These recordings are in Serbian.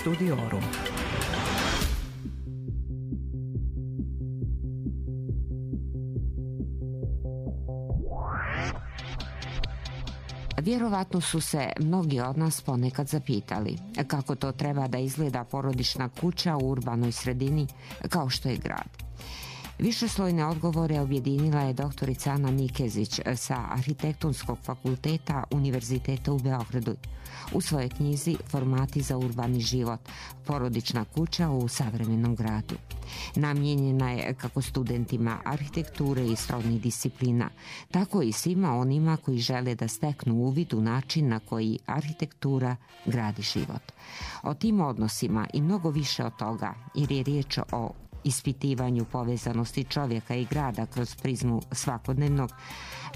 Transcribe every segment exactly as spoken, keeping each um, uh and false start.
Studiorum. Vjerovatno su se mnogi od nas ponekad zapitali kako to treba da izgleda porodična kuća u urbanoj sredini kao što je grad. Višeslojne odgovore objedinila je doktorica Ana Nikezić sa Arhitektonskog fakulteta Univerziteta u Beogradu u svojoj knjizi Formati za urbani život, porodična kuća u savremenom gradu. Namijenjena je kako studentima arhitekture i srodnih disciplina, tako i svima onima koji žele da steknu uvid u način na koji arhitektura gradi život. O tim odnosima i mnogo više od toga, jer je riječ o ispitivanju povezanosti čovjeka i grada kroz prizmu svakodnevnog,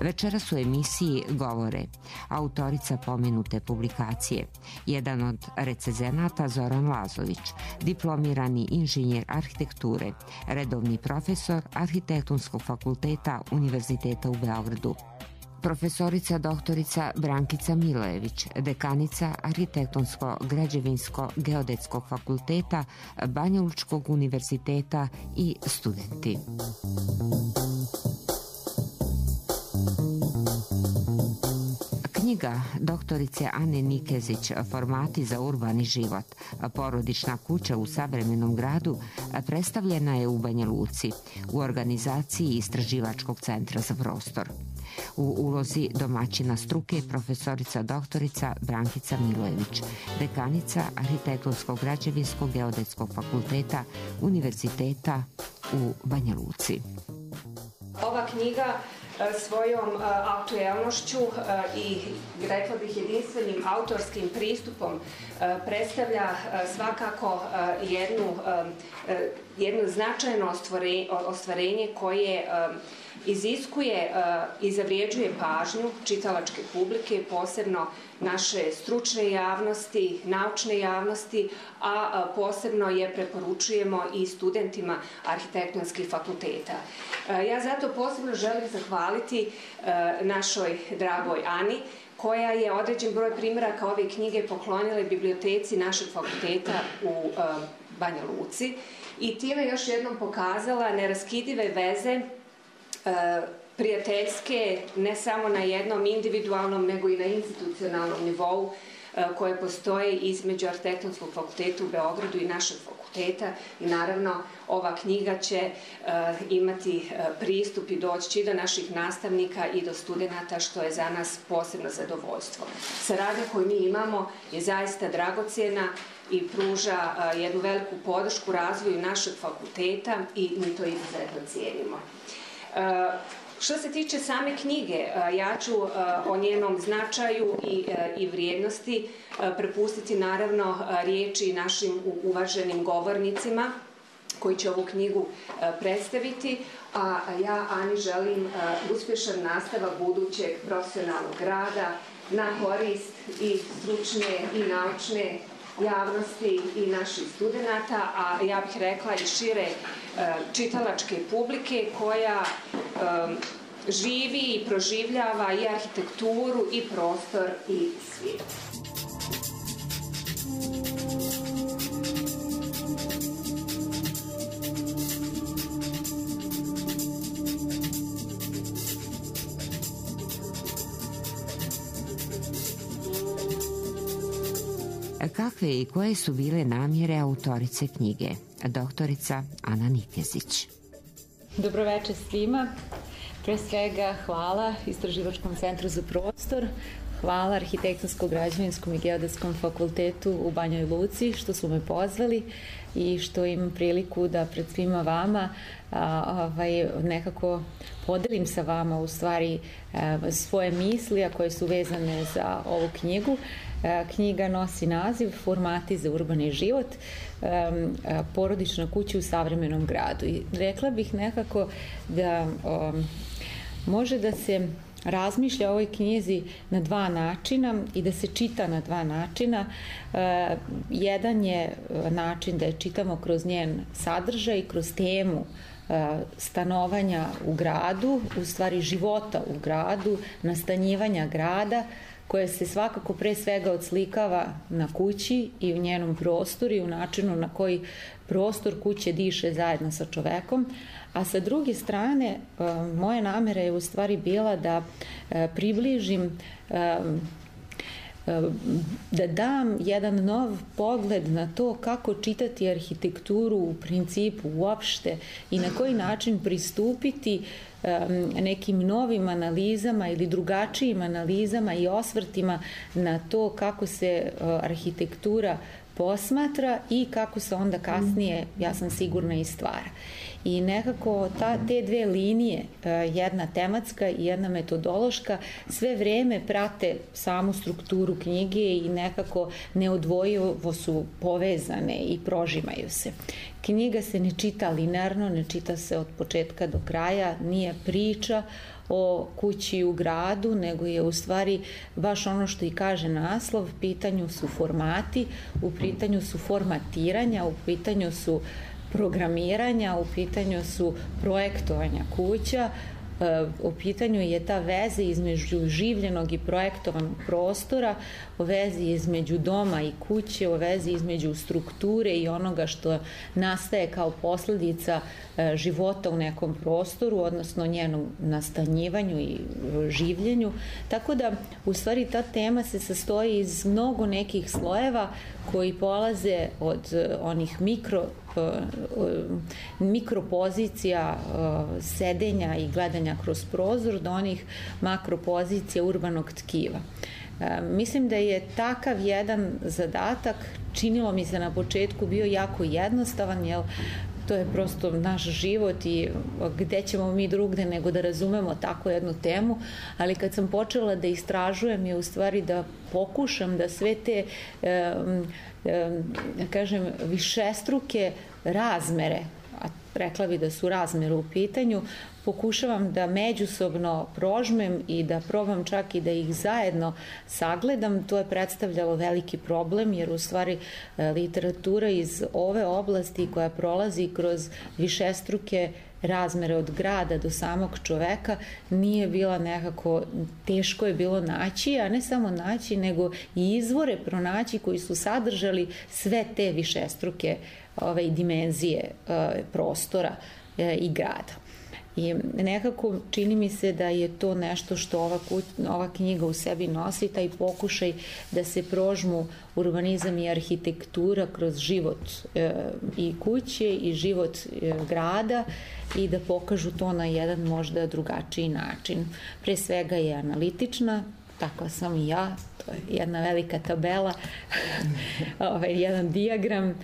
večeras u emisiji govore autorica pomenute publikacije, jedan od recenzenata Zoran Lazović, diplomirani inženjer arhitekture, redovni profesor Arhitektonskog fakulteta Univerziteta u Beogradu, profesorica doktorica Brankica Milojević, dekanica Arhitektonsko-građevinsko-geodetskog fakulteta Banjalučkog univerziteta i studenti. Knjiga doktorice Ane Nikezić Formati za urbani život, porodična kuća u savremenom gradu predstavljena je u Banja Luci u organizaciji Istraživačkog centra za prostor. U ulozi domaćina struke profesorica doktorica Brankica Milojević, dekanica Arhitektonskog građevinskog geodetskog fakulteta Univerziteta u Banja Luci. Ova knjiga svojom aktuelnošću i, rekla bih, jedinstvenim autorskim pristupom predstavlja svakako jednu, jedno značajno ostvarenje koje iziskuje i zavrijeđuje pažnju čitalačke publike, posebno naše stručne javnosti, naučne javnosti, a posebno je preporučujemo i studentima arhitektonskih fakulteta. Ja zato posebno želim zahvaliti našoj dragoj Ani, koja je određen broj primjeraka ove knjige poklonila biblioteci našeg fakulteta u Banja Luci i time još jednom pokazala neraskidive veze prijateljske, ne samo na jednom individualnom, nego i na institucionalnom nivou koje postoje između Arhitektonskog fakulteta u Beogradu i našeg fakulteta i naravno ova knjiga će imati pristup i doći do naših nastavnika i do studenata, što je za nas posebno zadovoljstvo. Saradnja koju mi imamo je zaista dragocjena i pruža jednu veliku podršku razvoju našeg fakulteta i mi to izuzetno cijenimo. Što se tiče same knjige, ja ću o njenom značaju i, i vrijednosti prepustiti naravno riječi našim uvaženim govornicima koji će ovu knjigu predstaviti, a ja Ani želim uspješan nastavak budućeg profesionalnog rada na korist i stručne i naučne javnosti i naših studenata, a ja bih rekla i šire čitalačke publike koja živi i proživljava i arhitekturu i prostor i svijet. Kakve i koje su bile namjere autorice knjige, doktorica Ana Nikezić? Dobroveče svima. Pre svega hvala Istraživačkom centru za prostor, hvala Arhitektonskom-građevinskom i geodetskom fakultetu u Banjoj Luci što su me pozvali i što imam priliku da pred svima vama a, ovaj, nekako podelim sa vama u stvari a, svoje misli, a koje su vezane za ovu knjigu. A, knjiga nosi naziv Formati za urbani život, a, a, porodična kuća u savremenom gradu. I rekla bih nekako da a, može da se razmišlja o ovoj knjizi na dva načina i da se čita na dva načina. E, jedan je način da je čitamo kroz njen sadržaj, kroz temu e, stanovanja u gradu, u stvari života u gradu, nastanjivanja grada, koja se svakako pre svega odslikava na kući i u njenom prostoru i u načinu na koji prostor kuće diše zajedno sa čovekom, a sa druge strane moja namera je u stvari bila da približim, da dam jedan nov pogled na to kako čitati arhitekturu u principu uopšte i na koji način pristupiti nekim novim analizama ili drugačijim analizama i osvrtima na to kako se arhitektura posmatra i kako se onda kasnije, ja sam sigurna, i stvara. I nekako ta, te dve linije, jedna tematska i jedna metodološka, sve vreme prate samu strukturu knjige i nekako neodvojivo su povezane i prožimaju se. Knjiga se ne čita linearno, ne čita se od početka do kraja, nije priča o kući u gradu, nego je u stvari baš ono što i kaže naslov, u pitanju su formati, u pitanju su formatiranja, u pitanju su programiranja, u pitanju su projektovanja kuća, u pitanju je ta veza između življenog i projektovanog prostora, o vezi između doma i kuće, o vezi između strukture i onoga što nastaje kao posljedica života u nekom prostoru, odnosno njenom nastanjivanju i življenju. Tako da, u stvari, ta tema se sastoji iz mnogo nekih slojeva koji polaze od onih mikro mikropozicija sedenja i gledanja kroz prozor do onih makropozicija urbanog tkiva. Mislim da je takav jedan zadatak, činilo mi se na početku, bio jako jednostavan, jer to je prosto naš život i gde ćemo mi drugde nego da razumemo tako jednu temu, ali kad sam počela da istražujem je u stvari da pokušam da sve te da kažem višestruke razmere, a rekla bi da su razmere u pitanju, pokušavam da međusobno prožmem i da probam čak i da ih zajedno sagledam. To je predstavljalo veliki problem, jer u stvari literatura iz ove oblasti koja prolazi kroz višestruke razmere od grada do samog čoveka nije bila nekako, teško je bilo naći, a ne samo naći, nego i izvore pronaći koji su sadržali sve te višestruke ove dimenzije prostora i grada. I nekako čini mi se da je to nešto što ova, ova knjiga u sebi nosi, taj pokušaj da se prožmu urbanizam i arhitektura kroz život e, i kuće i život e, grada i da pokažu to na jedan možda drugačiji način. Pre svega je analitična, takva sam i ja, to je jedna velika tabela, ovaj, jedan dijagram.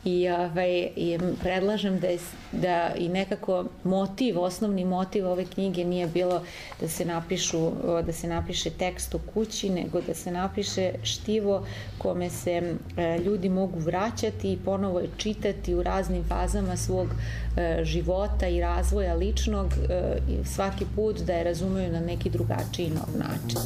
I, ovaj, i predlažem da, je, da i nekako motiv, osnovni motiv ove knjige nije bilo da se napišu, da se napiše tekst o kući, nego da se napiše štivo kome se e, ljudi mogu vraćati i ponovo čitati u raznim fazama svog e, života i razvoja ličnog e, i svaki put da je razumeju na neki drugačiji nov način.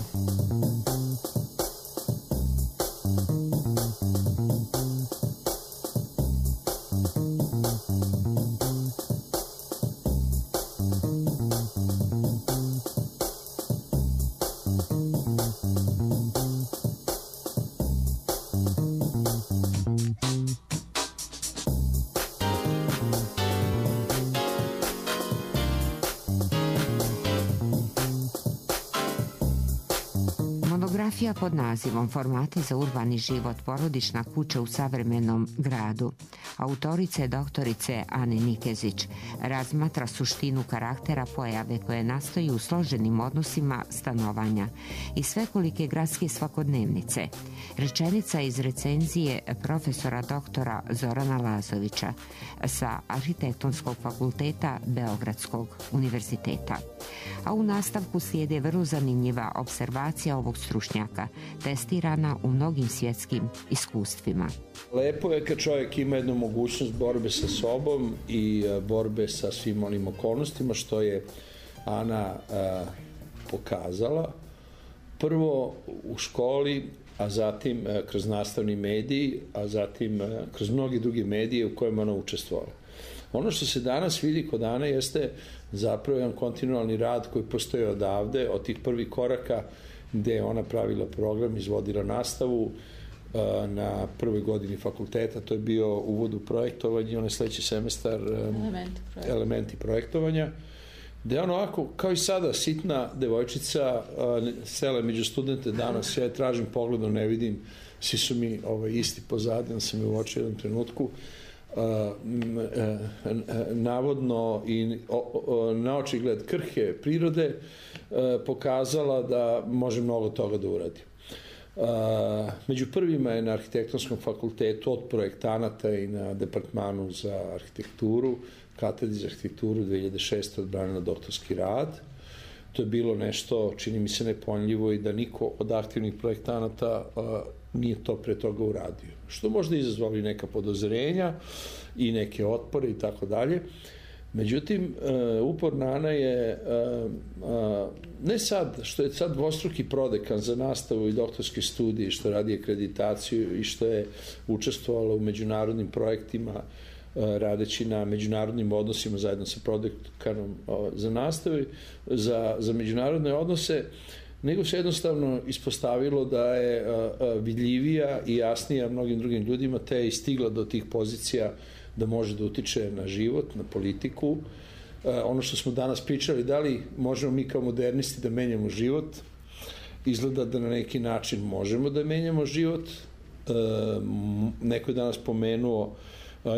Monografija pod nazivom Formati za urbani život, porodična kuća u savremenom gradu, autorice doktorice Ane Nikezić, razmatra suštinu karaktera pojave koje nastoji u složenim odnosima stanovanja i svekolike gradske svakodnevnice. Rečenica iz recenzije profesora doktora Zorana Lazovića sa Arhitektonskog fakulteta Beogradskog univerziteta. A u nastavku slijede vrlo zanimljiva observacija ovog stručnjaka, testirana u mnogim svjetskim iskustvima. Lepo je kad čovjek ima jednu mogućnost borbe sa sobom i borbe sa svim onim okolnostima što je Ana a, pokazala. Prvo u školi, a zatim a, kroz nastavni mediji, a zatim a, kroz mnogi drugi medije u kojima ona učestvovala. Ono što se danas vidi kod Ane jeste zapravo jedan kontinualni rad koji postoji odavde, od tih prvih koraka gde je ona pravila program, izvodila nastavu na prvoj godini fakulteta. To je bio uvod u projektovanje, onaj sledeći semestar elementi, elementi projektovanja, gde ono ovako, kao i sada, sitna devojčica sela među studente danas, ja je tražim pogledom, ne vidim, svi su mi ovaj, isti pozadi, on sam je uočio u jednom trenutku, navodno i na očigled krhke prirode pokazala da može mnogo toga da uradi. Među prvima je na arhitektonskom fakultetu od projektanata i na departmanu za arhitekturu, katedri za arhitekturu dve hiljade šeste. odbranila doktorski rad. To je bilo nešto, čini mi se, nepojmljivo i da niko od aktivnih projektanata nije to pre toga uradio. Što možda izazvali neka podozrenja i neke otpore i tako dalje. Međutim, uporna Ana je, ne sad, što je sad dvostruki prodekan za nastavu i doktorske studije, što radi akreditaciju i što je učestvovala u međunarodnim projektima, radeći na međunarodnim odnosima zajedno sa prodekanom za nastavu, za, za međunarodne odnose, nego se jednostavno ispostavilo da je vidljivija i jasnija mnogim drugim ljudima, te je stigla do tih pozicija da može da utiče na život, na politiku. Ono što smo danas pričali, da li možemo mi kao modernisti da menjamo život, izgleda da na neki način možemo da menjamo život. Neko je danas pomenuo,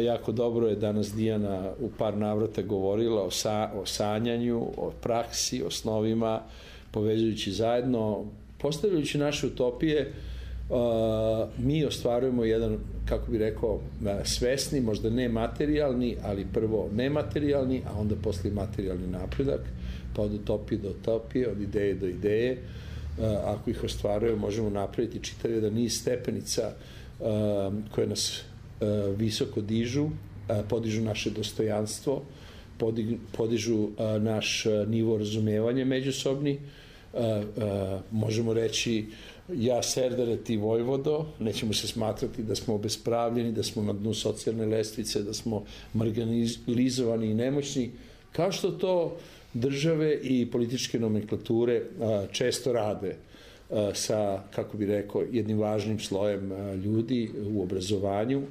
jako dobro je danas Dijana u par navrata govorila o, sa, o sanjanju, o praksi, o snovima, povezujući zajedno, postavljajući naše utopije, mi ostvarujemo jedan, kako bi rekao, svesni, možda ne materijalni, ali prvo nematerijalni, a onda posle materijalni napredak, pa od utopije do utopije, od ideje do ideje. Ako ih ostvarujemo, možemo napraviti čitav jedan niz stepenica koje nas visoko dižu, podižu naše dostojanstvo, podižu naš nivo razumevanja međusobni. Možemo reći ja Serdare, ti Vojvodo, nećemo se smatrati da smo obespravljeni, da smo na dnu socijalne lestvice, da smo marginalizovani i nemoćni, kao što to države i političke nomenklature često rade sa, kako bi rekao, jednim važnim slojem ljudi u obrazovanju,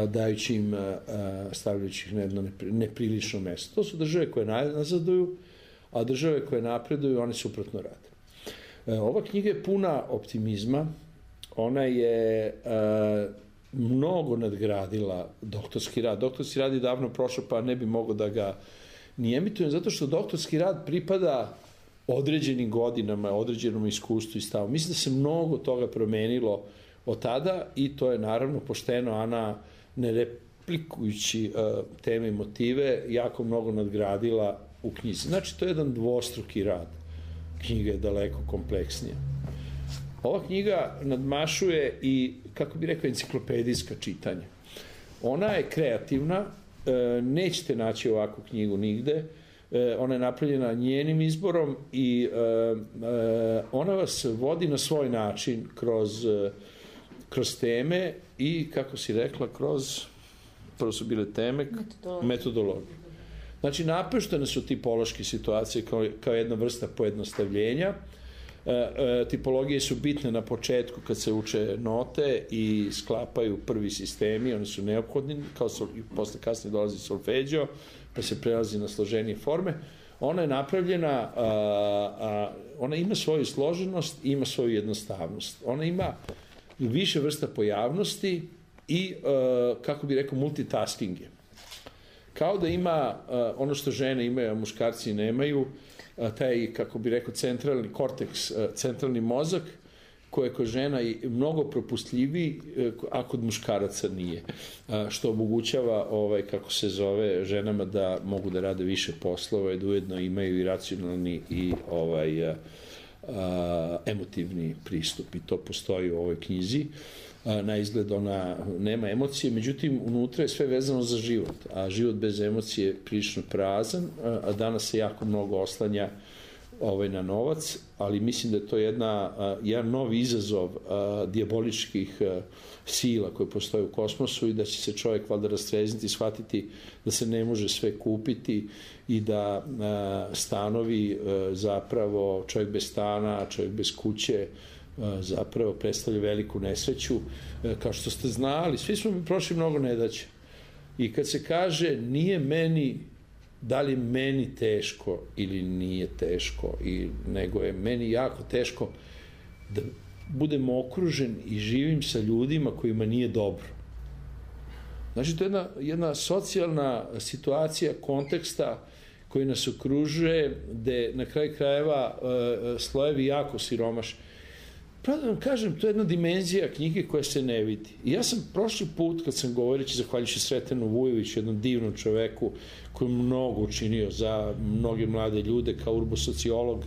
dajući im, stavljajući ih na jedno neprilično mesto. To su države koje nazaduju, a države koje napreduju, one suprotno rade. Ova knjiga je puna optimizma, ona je mnogo nadgradila doktorski rad. Doktorski rad je davno prošao, pa ne bi mogao da ga ni emitujem, zato što doktorski rad pripada određenim godinama, određenom iskustvu i stavu. Mislim da se mnogo toga promenilo od tada i to je naravno pošteno Ana, ne replikujući teme i motive, jako mnogo nadgradila u knjizi. Znači, to je jedan dvostruki rad. Knjiga je daleko kompleksnija. Ova knjiga nadmašuje i, kako bi rekao, enciklopedijska čitanja. Ona je kreativna, nećete naći ovakvu knjigu nigde, ona je napravljena njenim izborom i ona vas vodi na svoj način kroz, kroz teme i, kako si rekla, kroz, prvo su bile teme, metodologije. Znači, napuštene su tipološke situacije kao, kao jedna vrsta pojednostavljenja. E, e, tipologije su bitne na početku kad se uče note i sklapaju prvi sistemi, oni su neophodni, kao sol, i posle kasnije dolazi solfeđo, pa se prelazi na složenije forme. Ona je napravljena, a, a, ona ima svoju složenost i ima svoju jednostavnost. Ona ima više vrsta pojavnosti i, a, kako bi rekao, multitasking je. Kao da ima uh, ono što žene imaju, a muškarci nemaju, uh, taj, kako bi rekao, centralni korteks, uh, centralni mozak, koji je kod žena i mnogo propustljiviji, uh, a kod muškaraca nije. Uh, što omogućava, ovaj, kako se zove, ženama da mogu da rade više poslova i da ujedno imaju i racionalni i ovaj, uh, uh, emotivni pristup. I to postoji u ovoj knjizi. Na izgled ona nema emocije, međutim unutra je sve vezano za život, a život bez emocije je prilično prazan, a danas se jako mnogo oslanja ovaj, na novac, ali mislim da je to jedna, jedan novi izazov dijaboličkih sila koje postoje u kosmosu i da će se čovjek valjda rastrezniti i shvatiti da se ne može sve kupiti i da stanovi zapravo, čovjek bez stana, čovjek bez kuće zapravo predstavlja veliku nesreću. Kao što ste znali, svi smo mi prošli mnogo nedaća. I kad se kaže nije meni, da li meni teško ili nije teško, i, nego je meni jako teško da budem okružen i živim sa ljudima kojima nije dobro. Znači, to je jedna, jedna socijalna situacija konteksta koji nas okružuje, gde na kraju krajeva slojevi jako siromaš. Pravo da vam kažem, to je jedna dimenzija knjige koja se ne vidi. I ja sam prošli put, kad sam govoreći, zahvaljujući Sretenu Vujoviću, jednom divnom čoveku koji je mnogo učinio za mnoge mlade ljude kao urbosociolog,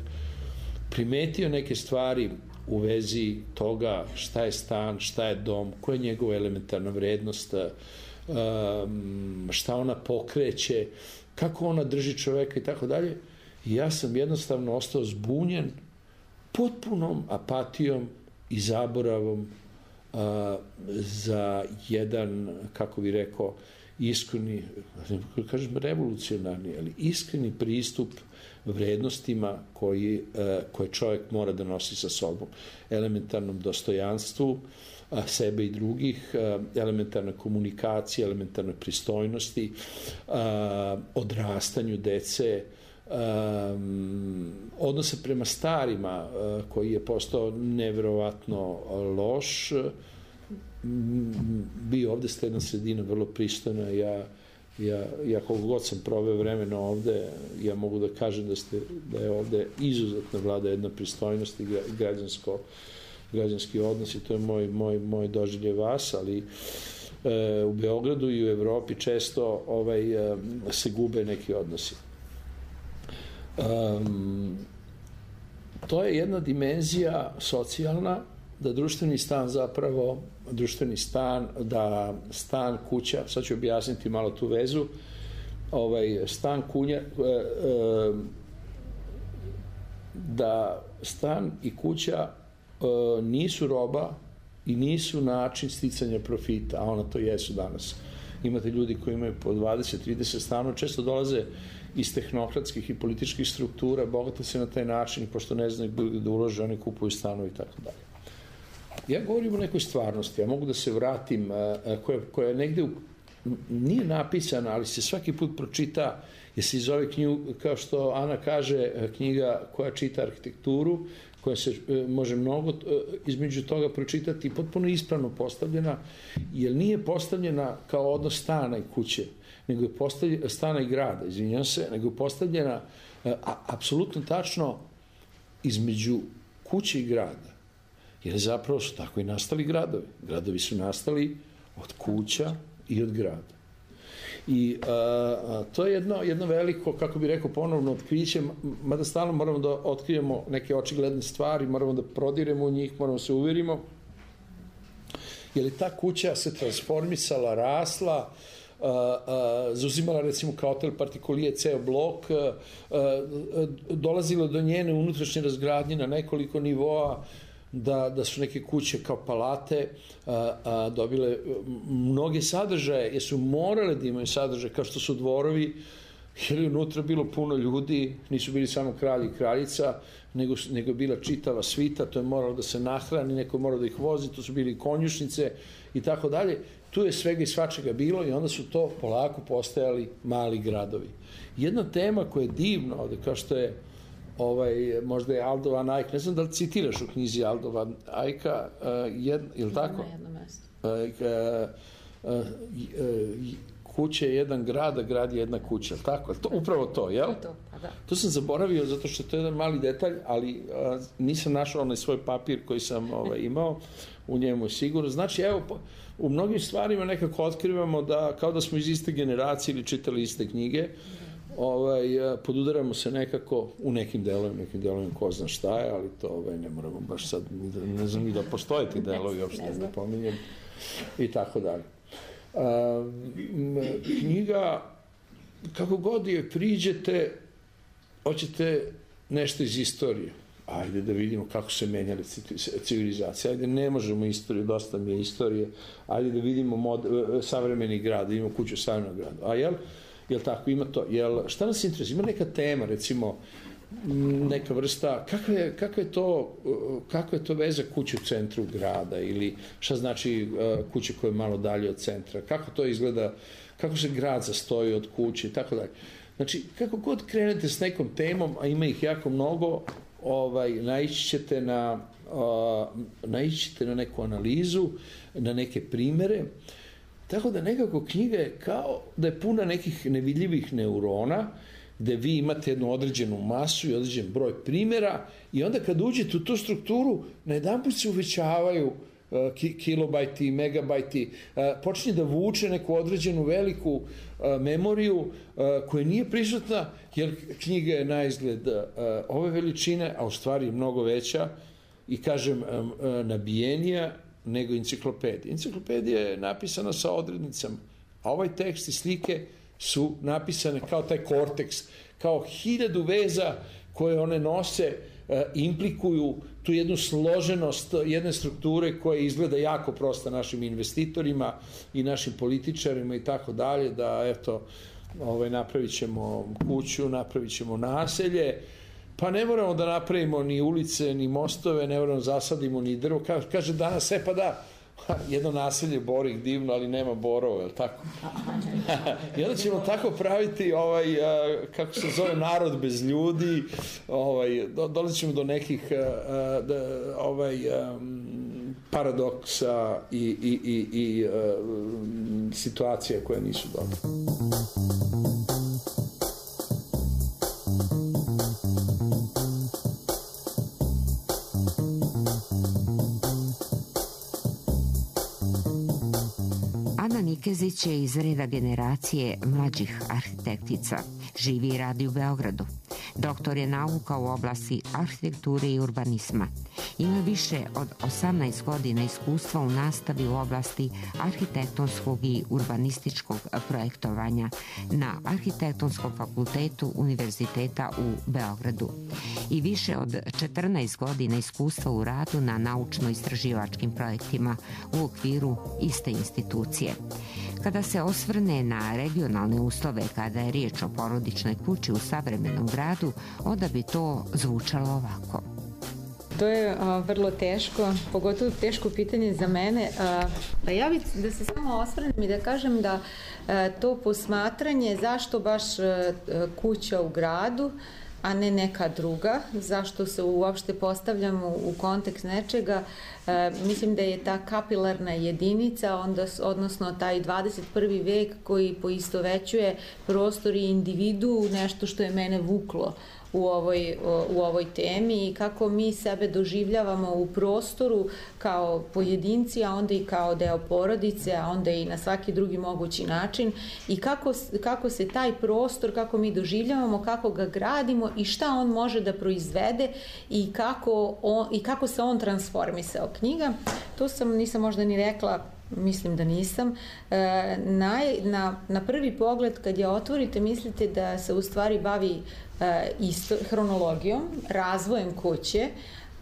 primetio neke stvari u vezi toga šta je stan, šta je dom, koja je njegova elementarna vrednost, šta ona pokreće, kako ona drži čoveka i tako dalje. I ja sam jednostavno ostao zbunjen potpunom apatijom i zaboravom a, za jedan, kako bi rekao, iskreni, kažem revolucionarni, ali iskreni pristup vrednostima koji, a, koje čovjek mora da nosi sa sobom. Elementarnom dostojanstvu a, sebe i drugih, a, elementarna komunikacija, elementarnoj pristojnosti, a, odrastanju dece, Um, odnose prema starima uh, koji je postao neverovatno loš. Vi ovde ste jedna sredina vrlo pristojna. Ja, ja, ja koliko god sam proveo vremena ovde, ja mogu da kažem da, ste, da je ovde izuzetno vlada jedna pristojnost i građansko, građanski odnos, i to je moj, moj, moj doživljaj vas, ali uh, u Beogradu i u Evropi često ovaj, uh, se gube neki odnosi. Um, to je jedna dimenzija socijalna, da društveni stan zapravo, društveni stan, da stan, kuća, sad ću objasniti malo tu vezu, ovaj, stan, kunja, e, e, da stan i kuća e, nisu roba i nisu način sticanja profita, a ona to jesu danas. Imate ljudi koji imaju po dvadeset trideset stanova, često dolaze iz tehnokratskih i političkih struktura, bogate se na taj način, pošto ne znaju da ulože, oni kupuju stanove i tako dalje. Ja govorim o nekoj stvarnosti, ja mogu da se vratim, koja, koja je negde u, nije napisana, ali se svaki put pročita, jer se iz ove knjigu, kao što Ana kaže, knjiga koja čita arhitekturu, koja se može mnogo između toga pročitati, potpuno ispravno postavljena, jer nije postavljena kao odnos stana i kuće, nego je postavljena, stana i grada, izvinjam se, nego je postavljena a, apsolutno tačno između kuće i grada. Jer zapravo su tako i nastali gradovi. Gradovi su nastali od kuća i od grada. I a, a, to je jedno, jedno veliko, kako bih rekao, ponovno otkriće, mada stalno moramo da otkrijemo neke očigledne stvari, moramo da prodiremo u njih, moramo se uverimo, jer je ta kuća se transformisala, rasla, a, a, zauzimala recimo kao hotel partikolije ceo blok, a, a, dolazilo do njene unutrašnje razgradnje na nekoliko nivoa, Da, da su neke kuće kao palate a, a, dobile mnoge sadržaje, jer su morale da imaju sadržaje, kao što su dvorovi, jer je unutra bilo puno ljudi, nisu bili samo kralj i kraljica, nego, nego je bila čitava svita, to je moralo da se nahrani, neko je moralo da ih vozi, to su bili konjušnice i tako dalje. Tu je svega i svačega bilo i onda su to polako postajali mali gradovi. Jedna tema koja je divna ovde, kao što je ovaj, možda je Aldo van Eyck, ne znam da li citiraš u knjizi Aldo van Eycka, uh, jed, je li tako? Na jedno mesto. Uh, uh, uh, uh, kuća je jedan grad, a grad je jedna kuća, tako? To, upravo to, jel? To, pa da. To sam zaboravio zato što to je jedan mali detalj, ali uh, nisam našao onaj svoj papir koji sam ovaj, imao, u njemu je sigurno. Znači, evo, u mnogim stvarima nekako otkrivamo da, kao da smo iz iste generacije ili čitali iste knjige, ovaj, podudaramo se nekako u nekim delovima, nekim delovima ko zna šta je, ali to ovaj, ne moramo baš sad, ne znam ni da postoje ti delovi, uopšte ne, ne pominjem, i tako dalje. A, knjiga, kako god je priđete, hoćete nešto iz istorije. Ajde da vidimo kako se menjale civilizacije. Ajde, ne možemo istoriju, dosta mi je istorije. Ajde da vidimo mod, savremeni grad, da imamo kuću savremenog grada. A jel, jel tako, ima to? Jel, šta nas interesuje? Ima neka tema, recimo, neka vrsta, kakva je, kakva je to, kakva je to veza kuće u centru grada ili šta znači kuće koja je malo dalje od centra, kako to izgleda, kako se grad sastoji od kuće i tako dalje. Znači, kako god krenete s nekom temom, a ima ih jako mnogo, ovaj, naići ćete na, uh, naići ćete na neku analizu, na neke primere, tako da nekako knjiga je kao da je puna nekih nevidljivih neurona, gde vi imate jednu određenu masu i određen broj primjera i onda kad uđete u tu strukturu, na jedan put se uvećavaju uh, ki kilobajti, megabajti, uh, počinje da vuče neku određenu veliku uh, memoriju uh, koja nije prisutna, jer knjiga je na izgled uh, ove veličine, a u stvari je mnogo veća i kažem um, uh, nabijenija nego enciklopedija. Enciklopedija je napisana sa odrednicama, a ovaj tekst i slike su napisane kao taj korteks, kao hiljadu veza koje one nose, e, implikuju tu jednu složenost jedne strukture koja izgleda jako prosta našim investitorima i našim političarima i tako dalje, da eto, ovaj, napravit ćemo kuću, napravit ćemo naselje, pa ne moramo da napravimo ni ulice, ni mostove, ne moramo da zasadimo ni drvo. Kaže, kaže danas, e pa da, jedno naselje Borik divno, ali nema borova, je li tako? I onda ćemo tako praviti, ovaj, kako se zove, narod bez ljudi, ovaj, dolazit ćemo do nekih ovaj, paradoksa i, i, i, i situacija koje nisu dobre. Nikezić je iz reda generacije mlađih arhitektica. Živi i radi u Beogradu. Doktor je nauka u oblasti arhitekture i urbanizma. Ima više od osamnaest godina iskustva u nastavi u oblasti arhitektonskog i urbanističkog projektovanja na Arhitektonskom fakultetu Univerziteta u Beogradu i više od četrnaest godina iskustva u radu na naučno-istraživačkim projektima u okviru iste institucije. Kada se osvrne na regionalne uslove kada je riječ o porodičnoj kući u savremenom gradu, onda bi to zvučalo ovako. To je a, vrlo teško, pogotovo teško pitanje za mene. A, pa ja bih da se samo osvrnem i da kažem da a, to posmatranje zašto baš a, kuća u gradu, a ne neka druga, zašto se uopšte postavljamo u kontekst nečega, e, mislim da je ta kapilarna jedinica, onda, odnosno taj dvadeset prvi vek koji poistovećuje prostor i individu, nešto što je mene vuklo u ovoj, u ovoj temi i kako mi sebe doživljavamo u prostoru kao pojedinci, a onda i kao deo porodice, a onda i na svaki drugi mogući način i kako, kako se taj prostor, kako mi doživljavamo, kako ga gradimo i šta on može da proizvede i kako, on, i kako se on transformisao. Knjiga, to sam, nisam možda ni rekla, mislim da nisam, e, na, na, na prvi pogled kad je otvorite mislite da se u stvari bavi e, isto, hronologijom, razvojem kuće,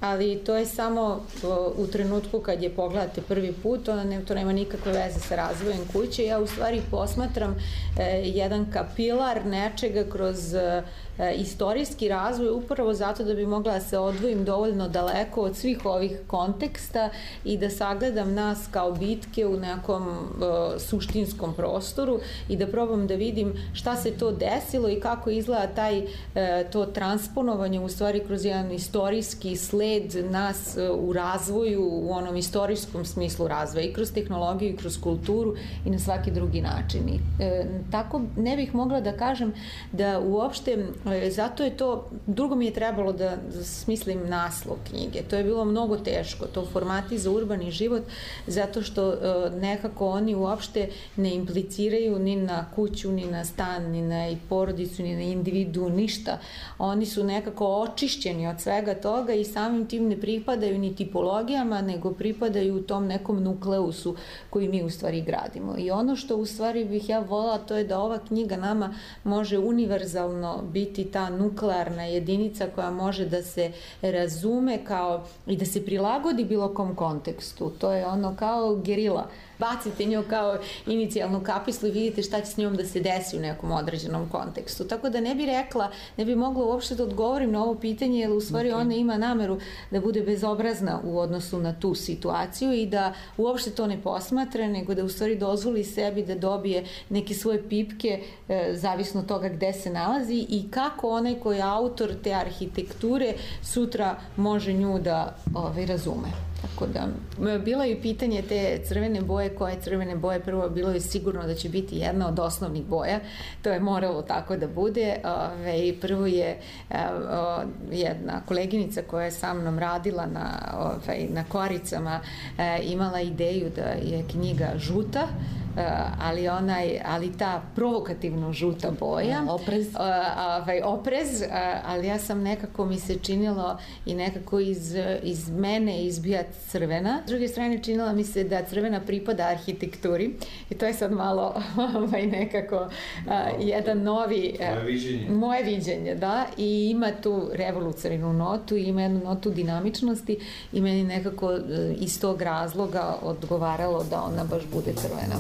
ali to je samo o, u trenutku kad je pogledate prvi put, to, ne, to nema nikakve veze sa razvojem kuće. Ja u stvari posmatram e, jedan kapilar nečega kroz e, istorijski razvoj upravo zato da bi mogla da se odvojim dovoljno daleko od svih ovih konteksta i da sagledam nas kao bitke u nekom e, suštinskom prostoru i da probam da vidim šta se to desilo i kako izgleda taj, e, to transponovanje u stvari kroz jedan istorijski sled nas u razvoju, u onom istorijskom smislu razvoja i kroz tehnologiju i kroz kulturu i na svaki drugi način. I, e, tako ne bih mogla da kažem da uopšte, e, zato je to, drugo mi je trebalo da, da smislim naslov knjige. To je bilo mnogo teško, to formati za urbani život, zato što e, nekako oni uopšte ne impliciraju ni na kuću, ni na stan, ni na porodicu, ni na individu, ništa. Oni su nekako očišćeni od svega toga i samim tim ne pripadaju ni tipologijama, nego pripadaju u tom nekom nukleusu koji mi u stvari gradimo. I ono što u stvari bih ja volala, to je da ova knjiga nama može univerzalno biti biti ta nuklearna jedinica koja može da se razume kao i da se prilagodi bilo kom kontekstu. To je ono kao gerila. Bacite nju kao inicijalnu kapislu i vidite šta će s njom da se desi u nekom određenom kontekstu. Tako da ne bi rekla, ne bi mogla uopšte da odgovorim na ovo pitanje, jer u stvari okay. ona ima nameru da bude bezobrazna u odnosu na tu situaciju i da uopšte to ne posmatra, nego da u stvari dozvoli sebi da dobije neke svoje pipke, e, zavisno od toga gde se nalazi i kako onaj koji je autor te arhitekture sutra može nju da ovaj, razume. Tako da, bilo je pitanje te crvene boje, koje crvene boje, prvo bilo je sigurno da će biti jedna od osnovnih boja, to je moralo tako da bude. Ove, prvo je o, jedna koleginica koja je sa mnom radila na, ove, na koricama e, imala ideju da je knjiga žuta, ali onaj, ali ta provokativno žuta boja, oprez, ovaj, oprez, ali ja sam nekako mi se činilo i nekako iz, iz mene izbija crvena. S druge strane činila mi se da crvena pripada arhitekturi i to je sad malo ovaj, nekako a, jedan novi moje viđenje. moje viđenje, da, i ima tu revolucionarnu notu i ima jednu notu dinamičnosti i meni nekako iz tog razloga odgovaralo da ona baš bude crvena.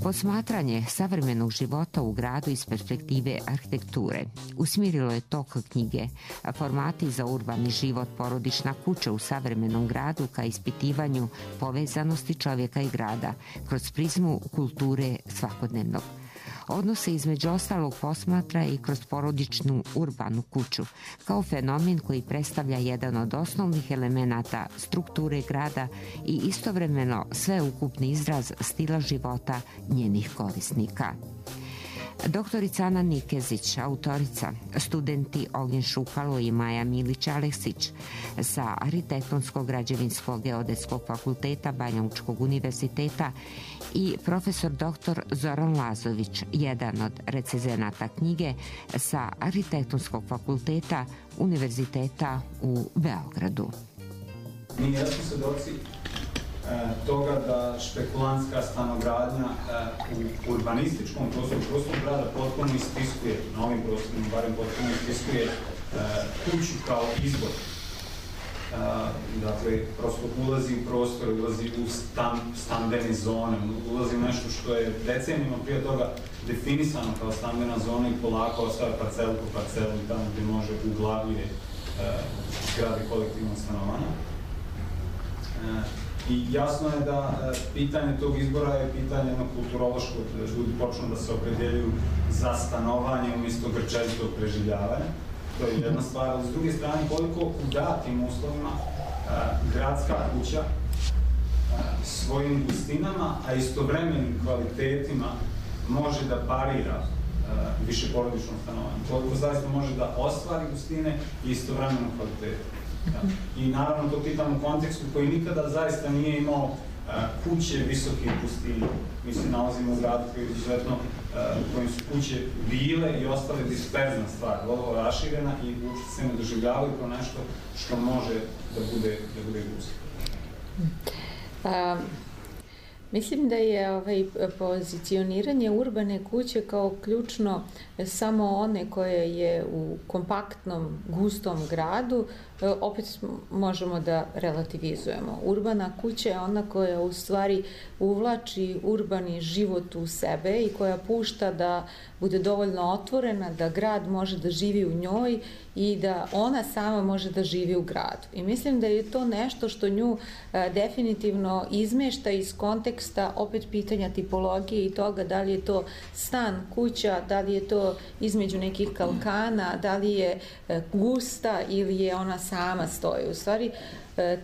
Posmatranje savremenog života u gradu iz perspektive arhitekture usmjerilo je tok knjige Formati za urbani život, porodična kuća u savremenom gradu ka ispitivanju povezanosti čovjeka i grada kroz prizmu kulture svakodnevnog. Odnose između ostalog posmatra i kroz porodičnu urbanu kuću, kao fenomen koji predstavlja jedan od osnovnih elemenata strukture grada i istovremeno sveukupni izraz stila života njenih korisnika. Doktorica Ana Nikezić, autorica, studenti Ognjen Šukalo i Maja Milić-Aleksić sa Arhitektonsko-građevinskog geodetskog fakulteta Banjalučkog univerziteta i profesor doktor Zoran Lazović, jedan od recenzenata knjige sa Arhitektonskog fakulteta Univerziteta u Beogradu. Mi jesmo svedoci toga da špekulantska stanogradnja u urbanističkom prostoru, prostoru grada potpuno istiskuje, na ovim prostorima barem potpuno istiskuje kuću kao izbor. Dakle, prosto ulazi u prostor, ulazi u stan, stambene zone, ulazi u nešto što je decenijima prije toga definisano kao stambena zona i polako ostaje parcelu po parcelu i tamo gde može uglavije zgrade kolektivnog stanovanja. I jasno je da pitanje tog izbora je pitanje jednog kulturološkog, da ljudi počnu da se opredjeljuju za stanovanje umjesto grčevitog preživljavanja. To je jedna stvar, ali s druge strane koliko u datim uslovima gradska kuća svojim gustinama, a istovremenim kvalitetima može da parira višeporodičnom stanovanju. Koliko zaista može da ostvari gustine i istovremeno kvalitetu. I naravno to pitam u kontekstu koji nikada zaista nije imao kuće visoke gustine. Mi se nalazimo u gradu koji je izuzetno, u kojim su kuće bile i ostale disperzna stvar, vrlo raširena i uopšte se ne doživljavaju kao nešto što može da bude, da bude gusto. Um. Mislim da je ovaj, pozicioniranje urbane kuće kao ključno samo one koje je u kompaktnom, gustom gradu, opet možemo da relativizujemo. Urbana kuća je ona koja u stvari uvlači urbani život u sebe i koja pušta da bude dovoljno otvorena, da grad može da živi u njoj i da ona sama može da živi u gradu. I mislim da je to nešto što nju e, definitivno izmešta iz konteksta opet pitanja tipologije i toga da li je to stan, kuća, da li je to između nekih kalkana, da li je e, gusta ili je ona sama stoji. U stvari, e,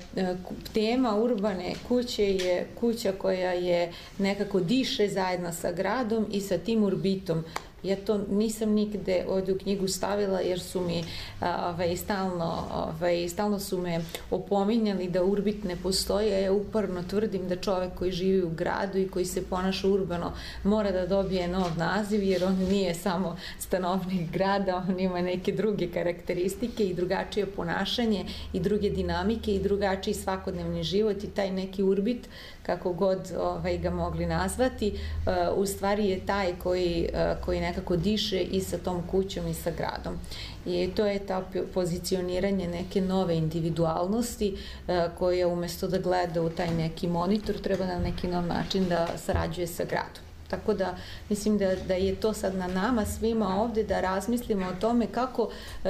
tema urbane kuće je kuća koja je nekako diše zajedno sa gradom i sa tim urbitom Ja to nisam nigde ovdje u knjigu stavila jer su mi ovaj, stalno, ovaj, stalno su me opominjali da urbit ne postoji, a ja uporno tvrdim da čovek koji živi u gradu i koji se ponaša urbano mora da dobije nov naziv, jer on nije samo stanovnik grada, on ima neke druge karakteristike i drugačije ponašanje i druge dinamike i drugačiji svakodnevni život, i taj neki urbit, kako god ovaj, ga mogli nazvati, uh, u stvari je taj koji, uh, koji nekako diše i sa tom kućom i sa gradom. I to je ta pozicioniranje neke nove individualnosti uh, koja umesto da gleda u taj neki monitor treba na neki nov način da sarađuje sa gradom. Tako da mislim da, da je to sad na nama svima ovde da razmislimo o tome kako e,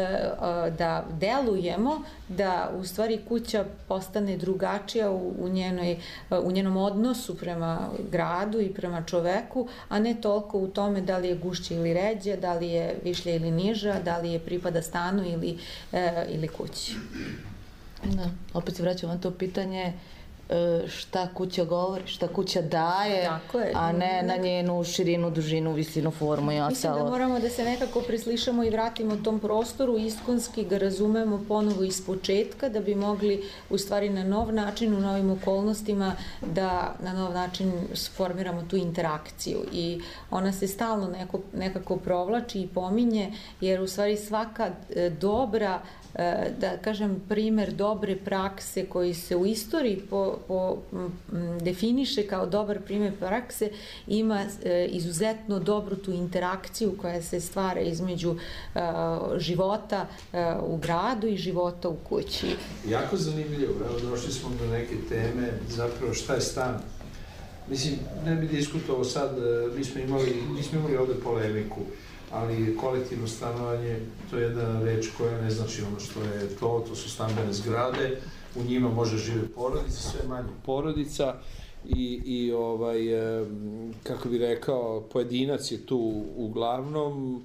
da delujemo da u stvari kuća postane drugačija u, u, njenoj, u njenom odnosu prema gradu i prema čoveku, a ne toliko u tome da li je gušća ili ređa, da li je višlja ili niža, da li je pripada stanu ili, e, ili kući. Da, opet se vraćamo na to pitanje šta kuća govori, šta kuća daje, a ne na njenu širinu, dužinu, visinu, formu i ostalo. Mislim da moramo da se nekako preslišamo i vratimo tom prostoru, iskonski ga razumemo ponovo iz početka, da bi mogli u stvari na nov način, u novim okolnostima, da na nov način formiramo tu interakciju. I ona se stalno neko, nekako provlači i pominje, jer u stvari svaka dobra, da kažem, primer dobre prakse koji se u istoriji po, po, m, definiše kao dobar primer prakse ima e, izuzetno dobru tu interakciju koja se stvara između e, života e, u gradu i života u kući. Jako zanimljivo, evo došli smo do neke teme, zapravo šta je stan. Mislim, ne bi diskutovao sad, mi smo imali, mi smo imali ovde polemiku, ali kolektivno stanovanje, to je jedna reč koja ne znači ono što je to, to su stambene zgrade, u njima može žive porodice, sve manje porodica i, i ovaj, kako bi rekao, pojedinac je tu uglavnom,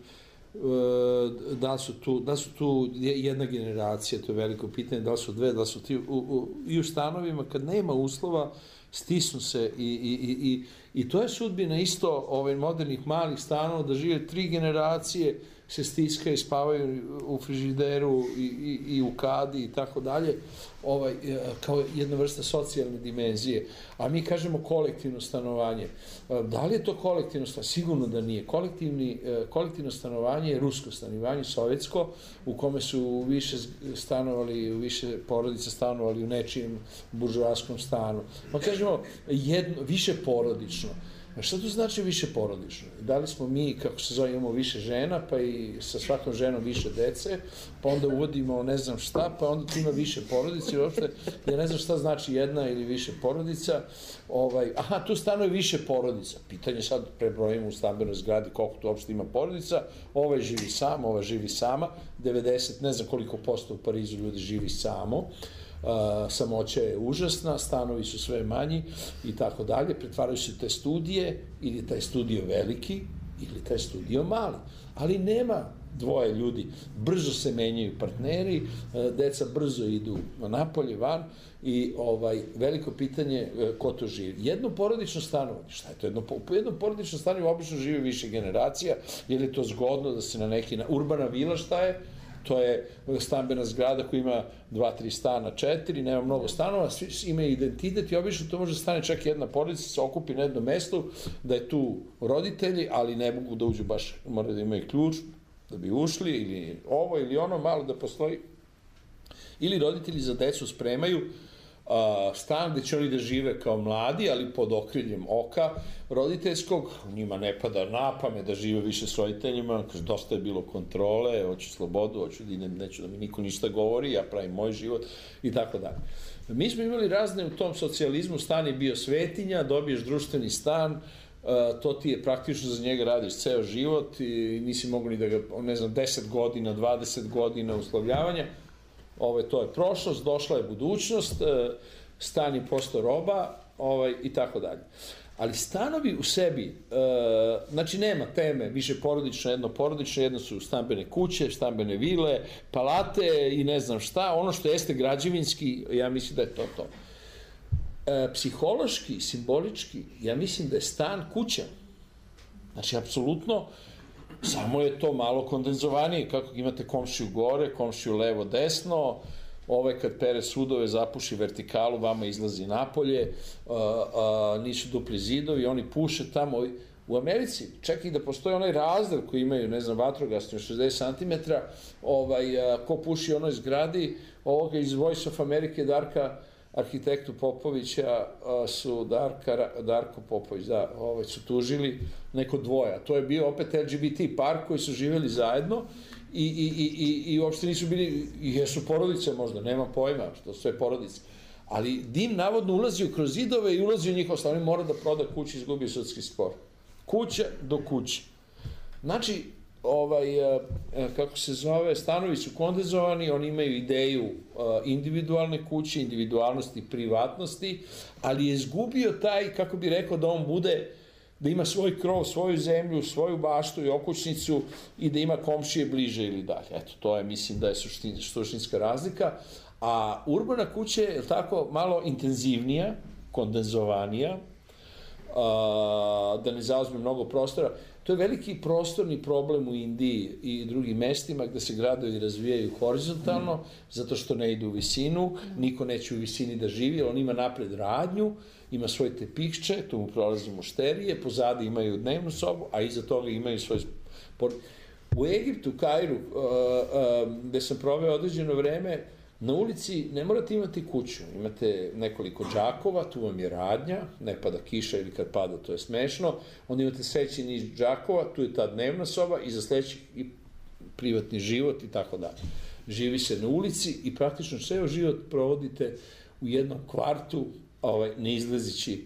da su tu, da su tu jedna generacija, to je veliko pitanje, da li su dve, da li su ti, u, u, i u stanovima kad nema uslova, stisnu se i, i, i, i to je sudbina isto ovaj, modernih malih stanova, da žive tri generacije, se stiskaju, spavaju u frižideru i, i, i u kadi i tako dalje, ovaj, kao jedna vrsta socijalne dimenzije. A mi kažemo kolektivno stanovanje. Da li je to kolektivno stanovanje? Sigurno da nije. Kolektivni, kolektivno stanovanje je rusko stanovanje, sovjetsko, u kome su više stanovali, više porodica stanovali u nečijem buržoaskom stanu. Pa kažemo jedno, više porodično. Šta to znači više porodično? Da li smo mi, kako se zove, imamo više žena, pa i sa svakom ženom više dece, pa onda uvodimo ne znam šta, pa onda tu ima više porodice i uopšte, ja ne znam šta znači jedna ili više porodica. Ovaj, aha, tu stanuje više porodica. Pitanje sad prebrojimo u stambenoj zgradi koliko tu uopšte ima porodica. Ovaj živi sam, ova živi sama, devedeset, ne znam koliko posto u Parizu ljudi živi samo. Uh, samoća je užasna, stanovi su sve manji i tako dalje, pretvaraju se te studije, ili taj studio veliki, ili taj studio mali, ali nema dvoje ljudi, brzo se menjaju partneri, uh, deca brzo idu napolje, van i ovaj, veliko pitanje uh, ko to živi. Jedno porodično stanovanje, šta je to? Jedno, po jednom porodično stanovanje obično živi više generacija, jer je to zgodno da se na neki, na, urbana vila šta je? To je stambena zgrada koja ima dva, tri stana, četiri, nema mnogo stanova, svi imaju identitet i obično to može stane čak jedna porodica, se okupi na jednom mestu, da je tu roditelji, ali ne mogu da uđu baš, moraju da imaju ključ da bi ušli, ili ovo ili ono, malo da postoji. Ili roditelji za decu spremaju Uh, stan gde će oni da žive kao mladi, ali pod okriljem oka roditeljskog, njima ne pada na pamet da žive više s roditeljima, kaže dosta je bilo kontrole, hoću slobodu, hoću da idem, neću da mi niko ništa govori, ja pravim moj život i tako dalje. Mi smo imali razne u tom socijalizmu, stan je bio svetinja, dobiješ društveni stan, uh, to ti je praktično, za njega radiš ceo život i nisi mogu ni da ga, ne znam, deset godina, dvadeset godina uslovljavanja. Ovaj, to je prošlost, došla je budućnost, stan je postao roba, ovaj, i tako dalje. Ali stanovi u sebi, e, znači nema teme, više porodično, jedno porodično, jedno su stambene kuće, stambene vile, palate i ne znam šta, ono što jeste građevinski, ja mislim da je to to. E, psihološki, simbolički, ja mislim da je stan kuća. Znači, apsolutno, samo je to malo kondenzovanije, kako imate komšiju gore, komšiju levo, desno, ovaj kad pere sudove zapuši vertikalu, vama izlazi napolje, nisu dupli zidovi, oni puše tamo. U Americi, čak i da postoji onaj razdel koji imaju, ne znam, vatrogasni od šezdeset centimetara, ko puši onoj zgradi, ovoga iz Voice of America, Darka, arhitektu Popovića, su Darko Popović, da, su tužili neko dvoja. To je bio opet L G B T par koji su živjeli zajedno i uopšte nisu bili, jesu porodice možda, nema pojma, što su sve porodice. Ali dim navodno ulazio kroz zidove i ulazio u njihov stan, oni mora da proda kuću i izgubio sudski spor. Kuća do kuće. Znači, kako se zove, stanovi su kondenzovani, oni imaju ideju individualne kuće, individualnosti i privatnosti, ali je izgubio taj, kako bi rekao, da on bude, da ima svoj krov, svoju zemlju, svoju baštu i okućnicu i da ima komšije bliže ili dalje. Eto, to je, mislim, da je suštinska razlika. A urbana kuća je tako malo intenzivnija, kondenzovanija, da ne zauzme mnogo prostora. To je veliki prostorni problem u Indiji i drugim mestima gde se gradovi razvijaju horizontalno, zato što ne idu u visinu, niko neće u visini da živi, on ima napred radnju, ima svoje tepihče, tu mu prolaze mušterije, pozadi imaju dnevnu sobu, a iza toga imaju svoj... U Egiptu, Kairu, gde sam proveo određeno vreme, na ulici ne morate imati kuću, imate nekoliko džakova, tu vam je radnja, ne pada kiša ili kad pada, to je smešno, onda imate sledeći niz džakova, tu je ta dnevna soba i za sledeći privatni život i tako dalje. Živi se na ulici i praktično ceo život provodite u jednom kvartu, ne izlazići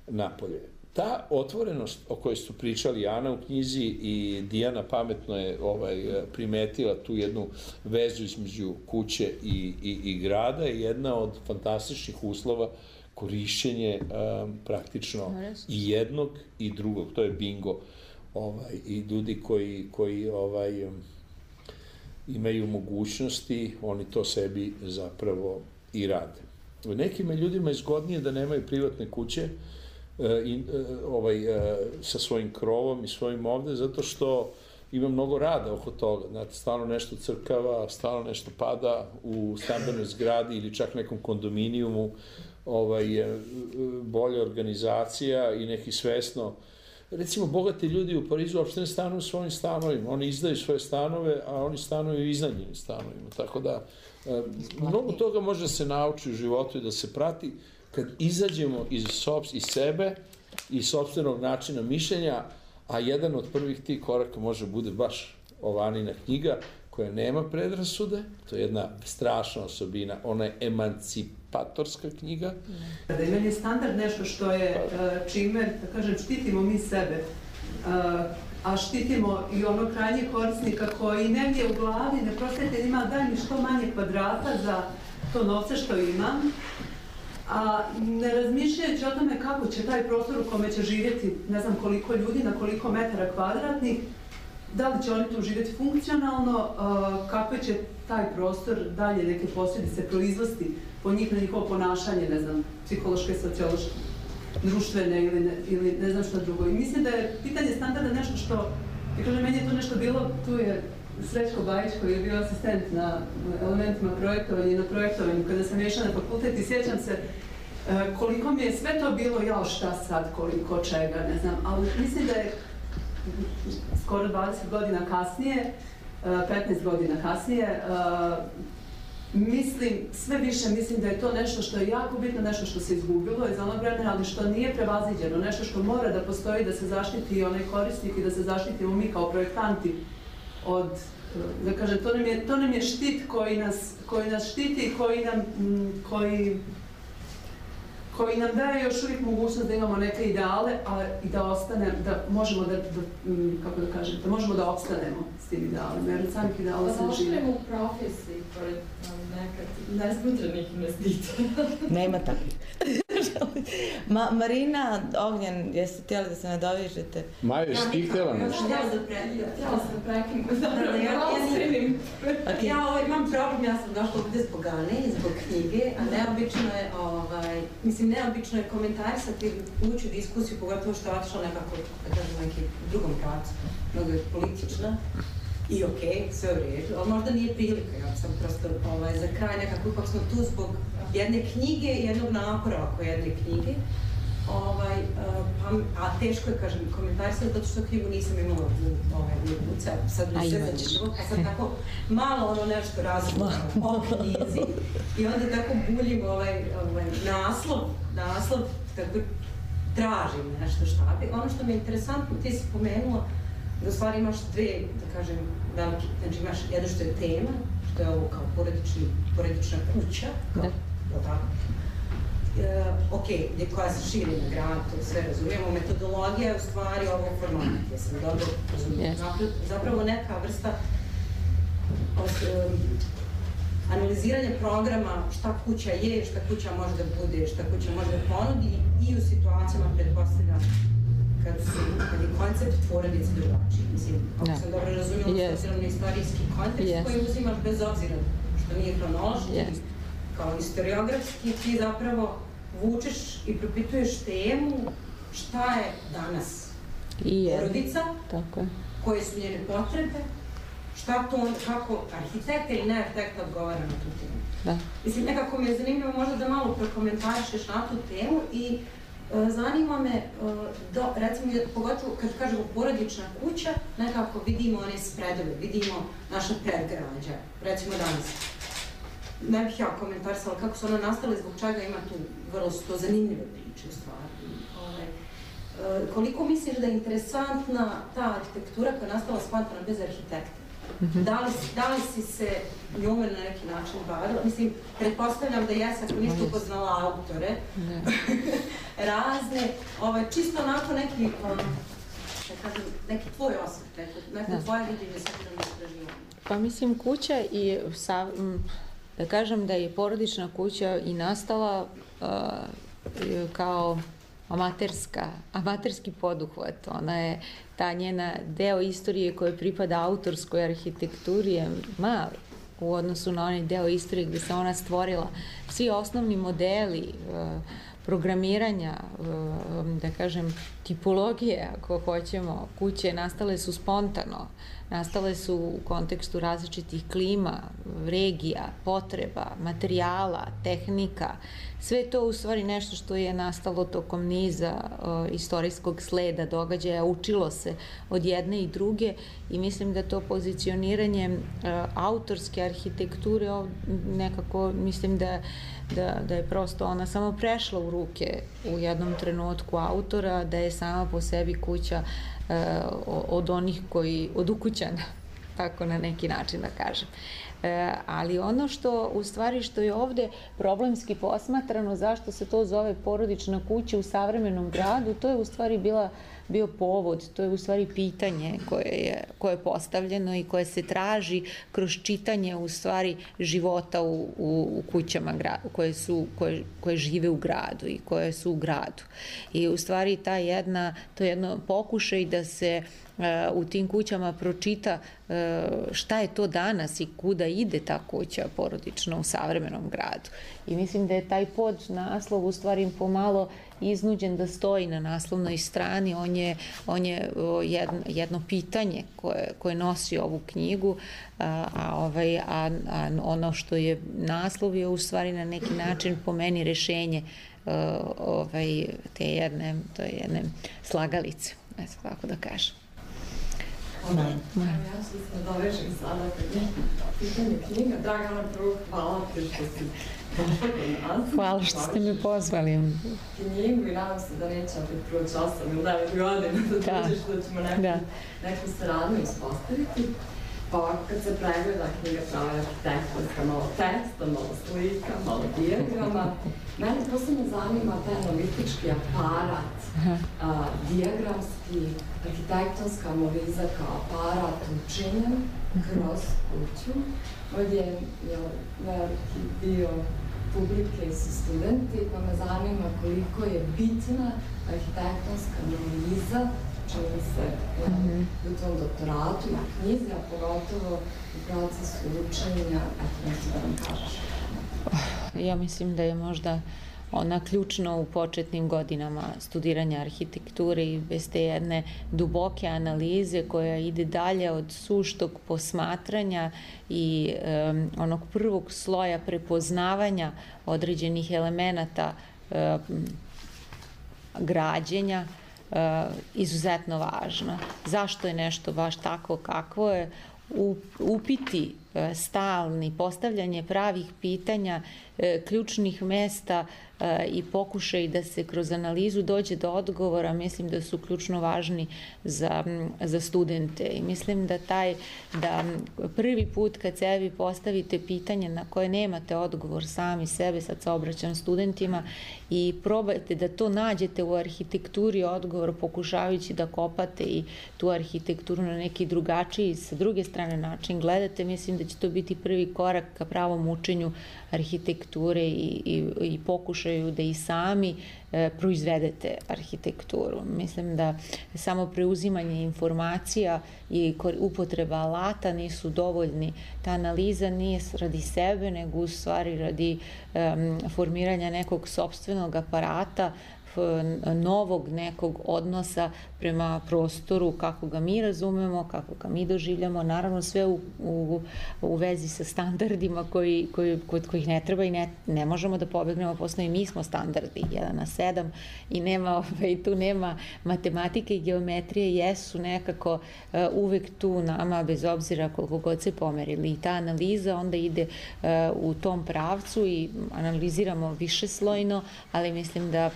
napolje. Ta otvorenost o kojoj su pričali Ana u knjizi i Dijana pametno je primetila tu jednu vezu između kuće i grada je jedna od fantastičnih uslova korišćenje praktično i jednog i drugog. To je bingo. I ljudi koji imaju mogućnosti, oni to sebi zapravo i rade. Nekim ljudima je zgodnije da nemaju privatne kuće sa svojim krovom i svojim ovde, zato što ima mnogo rada oko toga. Znate, stalno nešto crkava, stalno nešto pada u stambenoj zgradi ili čak nekom kondominijumu, bolja organizacija i neki svesno. Recimo, bogati ljudi u Parizu uopšte ne stanuju u svojim stanovima. Oni izdaju svoje stanove, a oni stanuju u iznajmljenim stanovima. Tako da, mnogo toga može da se nauči u životu i da se prati kad izađemo iz sebe, iz sopstvenog načina mišljenja, a jedan od prvih tih koraka može bude baš Ovanina knjiga, koja nema predrasude, to je jedna strašna osobina, ona je emancipatorska knjiga. Da imanje je standard nešto što je čime, da kažem, štitimo mi sebe, a štitimo i ono krajnje korisnika koji negdje u glavi, ne prostajete, ima daj mi što manje kvadrata za to novce što imam, a ne razmišljajući o tome kako će taj prostor u kome će živjeti ne znam koliko ljudi na koliko metara kvadratnih, da li će oni tu živjeti funkcionalno, kakve će taj prostor dalje neke posljedice proizvesti po njih na njihovo ponašanje, ne znam, psihološke, sociološke, društvene ili ne znam što drugo. I mislim da je pitanje standarda nešto što, ja kažem, meni je to nešto bilo, tu je Srećko Bajić koji je bio asistent na elementima projektovanja i na projektovanju kada sam išla na fakultet i sjećam se koliko mi je sve to bilo, jao šta sad, koliko čega, ne znam, ali mislim da je skoro dvadeset godina kasnije, petnaest godina kasnije, mislim, sve više mislim da je to nešto što je jako bitno, nešto što se izgubilo iz onog vremena, ali što nije prevaziđeno, nešto što mora da postoji, da se zaštiti i onaj korisnik i da se zaštitimo mi kao projektanti od, da kažem, to nam je štit koji nas štiti i koji nam, koji koji nam daje još uvijek mogućnost da imamo neke ideale, i da ostane, da možemo da, kako da kažem, da možemo da opstanemo s tim idealima, jer od samih ideala sam živi. Da ostanemo u profesiji, pored nekad nesmutrenih investitora. Nema takvih. Ma, Marina, Ognjen, jeste htjeli da se nadovižete? Maja, jesi ti htjela nešto? Htjela sam da prekim, dobro, ja ostrenim. Ja imam problem, ja sam došla ovdje zbog Ane i zbog knjige, a neobično je, ovaj, mislim, neobično je komentarisati, ući u diskusiju, pogotovo što je otišla nekako, da kažem, neki drugom pracu, mnogo je politična. I okej, okay, sve u redu, ali možda nije prilika, ja sam prosto ovaj, za kraj nekako, ipak smo tu zbog jedne knjige i jednog napora oko jedne knjige. Ovaj, pa, a teško je, kažem, komentarisati, zato što knjigu nisam imala u ovaj, ruci, sad mi sve začinilo, pa sad tako malo ono nešto razumno o knjizi. I onda tako buljim ovaj, ovaj, naslov, naslov, tako tražim nešto šta bi. Ono što mi je interesantno, ti si pomenula, da u stvari imaš dve, da kažem, velike, znači imaš jedno što je tema, što je ovo kao porodični, porodična kuća, kao, da. Tako? E, ok, gdje koja se širi na grad, to sve razumijemo, metodologija je u stvari ovo format, ja sam dobro razumijem. Yes. Zapravo neka vrsta os, um, analiziranja programa šta kuća je, šta kuća može da bude, šta kuća može da ponudi i u situacijama pretpostavljam kad, su, kad je koncept porodice drugačiji. Mislim, ako sam dobro razumjela, yes. s obzirom na istorijski kontekst yes. koji uzimaš bez obzira što nije hronološki, yes. kao historiografski, ti zapravo vučeš i propituješ temu šta je danas I porodica, tako je. koje su njene potrebe, šta to onda, kako arhitekta ili ne arhitekta odgovara na tu temu. Da. Mislim, nekako mi je zanimljivo možda da malo prokomentarišeš na tu temu i zanima me, do, recimo, pogotovo kad kažemo porodična kuća, nekako vidimo one spredove, vidimo naša predgrađa, recimo danas. Ne bih ja komentarisala kako su ona nastale, zbog čega ima tu vrlo to zanimljive priče u stvari. Ove, koliko misliš da je interesantna ta arhitektura koja je nastala spontano bez arhitekta? Mm-hmm. Da li, da li si se njome na neki način bavila? Mislim, pretpostavljam da jes, ako niste upoznala autore, razne, ovaj, čisto onako neki, um, da kažem, neki tvoj osvrt, neko, neko tvoje viđenje sakrednog istraživanja. Pa mislim, kuća i, sa, da kažem da je porodična kuća i nastala uh, kao amaterska, amaterski poduhvat. Ona je, ta njena deo istorije koja pripada autorskoj arhitekturi je mali u odnosu na onaj deo istorije gdje se ona stvorila. Svi osnovni modeli programiranja, da kažem, tipologije, ako hoćemo, kuće nastale su spontano, nastale su u kontekstu različitih klima, regija, potreba, materijala, tehnika. Sve to u stvari nešto što je nastalo tokom niza uh, istorijskog sleda događaja, učilo se od jedne i druge i mislim da to pozicioniranje uh, autorske arhitekture nekako, mislim da, da, da je prosto ona samo prešla u ruke u jednom trenutku autora, da je sama po sebi kuća uh, od onih koji, od ukućana, tako na neki način da kažem. E, ali ono što, u stvari, što je ovdje problemski posmatrano, zašto se to zove porodična kuća u savremenom gradu, to je u stvari bila, bio povod, to je u stvari pitanje koje je, koje je postavljeno i koje se traži kroz čitanje u stvari života u, u, u kućama koje, su, koje, koje žive u gradu i koje su u gradu. I u stvari ta jedna, to je jedno pokušaj da se u tim kućama pročita šta je to danas i kuda ide ta kuća porodična u savremenom gradu. I mislim da je taj pod naslov u stvari pomalo iznuđen da stoji na naslovnoj strani. On je, on je jedno, jedno pitanje koje, koje nosi ovu knjigu, a, a, ovaj, a, a ono što je naslov je u stvari na neki način po meni rešenje ovaj, te jedne, to je jedne slagalice, eto tako da kažem. Hvala. Ja što se nadovežem sada kad je pitanje knjiga. Dragana, prvo hvala ti što si došla kod nas. Hvala što ste me pozvali. Knjigu i nadam se da neće opet proći osam ili devet godina da dođeš da ćemo neku, da. neku saradnju ispostaviti. Pa ovako kad se pregleda knjiga prava arhitektonska, malo teksta, malo slika, malo dijagrama, mene posebno zanima taj analitički aparat, a, dijagramski, arhitektonska analiza kao aparat učenja kroz kuću. Ovdje je veliki dio publike su studenti, pa me zanima koliko je bitna arhitektonska analiza, čini se mm-hmm. u tom doktoratu i knjizi, a pogotovo u procesu učenja, ako nešto da vam kažeš. Ja mislim da je možda ona ključna u početnim godinama studiranja arhitekture i bez te jedne duboke analize koja ide dalje od suštog posmatranja i um, onog prvog sloja prepoznavanja određenih elemenata um, građenja uh, izuzetno važna. Zašto je nešto baš tako kakvo je? Upiti stalni, postavljanje pravih pitanja, ključnih mesta i pokušaj da se kroz analizu dođe do odgovora, mislim da su ključno važni za, za studente. I mislim da taj, da prvi put kad sebi postavite pitanje na koje nemate odgovor sami sebe, sad se obraćam studentima, i probajte da to nađete u arhitekturi odgovor, pokušavajući da kopate i tu arhitekturu na neki drugačiji, sa druge strane način gledate, mislim da će to biti prvi korak ka pravom učenju arhitekture i, i, i pokušaju da i sami e, proizvedete arhitектuru. Mislim da samo preuzimanje informacija i upotreba alata nisu dovoljni. Ta analiza nije radi sebe, nego u stvari radi e, formiranja nekog sopstvenog aparata, novog nekog odnosa prema prostoru, kako ga mi razumemo, kako ga mi doživljamo, naravno sve u, u, u vezi sa standardima koji, koji, kod kojih ne treba i ne, ne možemo da pobegnemo, posle i mi smo standardi, jedan na sedam i nema, ovaj, tu nema matematike i geometrije, jesu nekako uh, uvek tu nama, bez obzira koliko god se pomerili. I ta analiza onda ide uh, u tom pravcu i analiziramo višeslojno, ali mislim da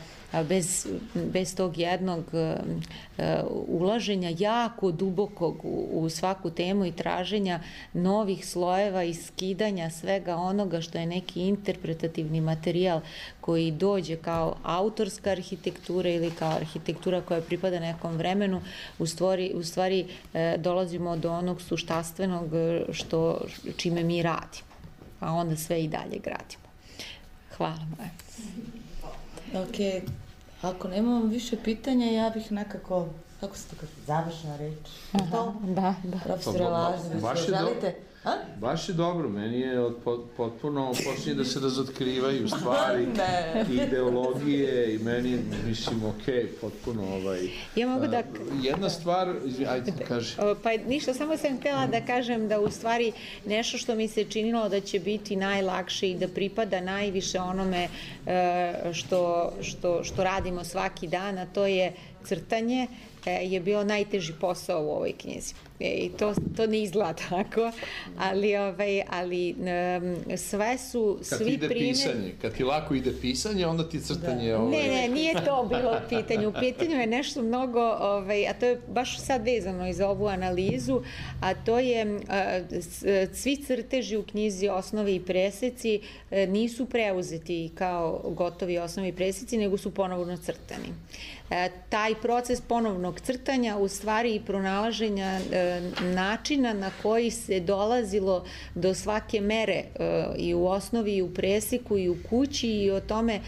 Bez, bez tog jednog uh, ulaženja jako dubokog u, u svaku temu i traženja novih slojeva i skidanja svega onoga što je neki interpretativni materijal koji dođe kao autorska arhitektura ili kao arhitektura koja pripada nekom vremenu, u stvari, u stvari uh, dolazimo do onog suštanstvenog što, čime mi radimo, a onda sve i dalje gradimo. Hvala moje. Ok, ako nemamo više pitanja, ja bih nekako, kako se to kaže, završna reč. Aha, da, da. Profesore Lažnović, želite? A? Baš je dobro, meni je od, potpuno počinje da se razotkrivaju stvari, ideologije i meni, mislim, okej, potpuno ovaj... Ja mogu da... Jedna stvar, ajde, kaži. Pa ništa, samo sam htjela da kažem da u stvari nešto što mi se činilo da će biti najlakše i da pripada najviše onome što, što, što radimo svaki dan, a to je crtanje, je bio najteži posao u ovoj knjizi. I to, to ne izgleda tako, ali, ovaj, ali um, sve su, kad svi ide primjer... pisanje, kad ti lako ide pisanje, onda ti crtanje... Da. Ovaj... Ne, ne, nije to bilo u pitanju. U pitanju je nešto mnogo, ovaj, a to je baš sad vezano i za ovu analizu, a to je uh, svi crteži u knjizi Osnove i preseci uh, nisu preuzeti kao gotovi osnovi i preseci, nego su ponovno crtani. E, taj proces ponovnog crtanja, u stvari i pronalaženja e, načina na koji se dolazilo do svake mere e, i u osnovi i u preseku i u kući i o tome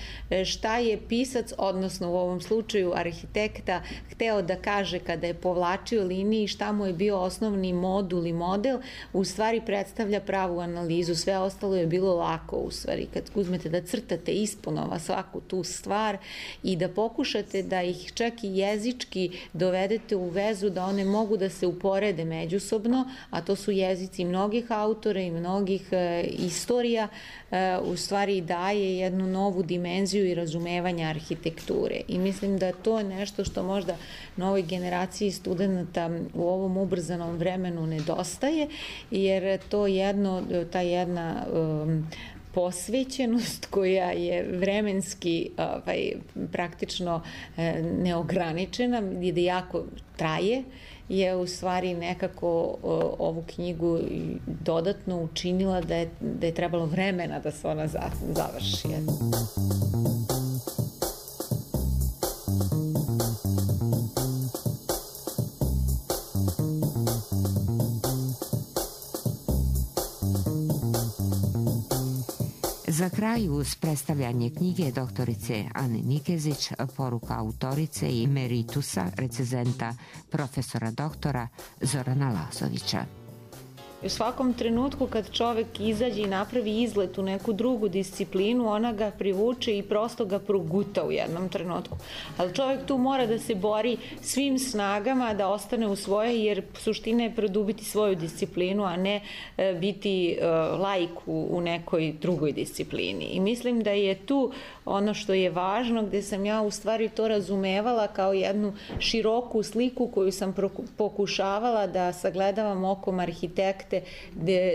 šta je pisac, odnosno u ovom slučaju arhitekta, hteo da kaže kada je povlačio liniji, šta mu je bio osnovni modul i model, u stvari predstavlja pravu analizu. Sve ostalo je bilo lako, u stvari, kad uzmete da crtate isponova svaku tu stvar i da pokušate da ih čak i jezički dovedete u vezu, da one mogu da se uporede međusobno, a to su jezici mnogih autora i mnogih e, istorija, e, u stvari daje jednu novu dimenziju i razumevanja arhitekture. I mislim da to je nešto što možda novoj generaciji studenta u ovom ubrzanom vremenu nedostaje, jer to jedno, ta jedna um, posvećenost koja je vremenski ovaj, praktično eh, neograničena i da jako traje, je u stvari nekako o, ovu knjigu dodatno učinila da je, da je trebalo vremena da se ona završi. Za kraj uz predstavljanje knjige doktorice Ane Nikezić, poruka autorice i emeritusa, recenzenta profesora doktora Zorana Lazovića. U svakom trenutku kad čovek izađe i napravi izlet u neku drugu disciplinu, ona ga privuče i prosto ga proguta u jednom trenutku. Ali čovek tu mora da se bori svim snagama da ostane u svoje, jer suština je produbiti svoju disciplinu, a ne biti laik u nekoj drugoj disciplini. I mislim da je tu ono što je važno, gde sam ja u stvari to razumevala kao jednu široku sliku koju sam pokušavala da sagledavam okom arhitekte,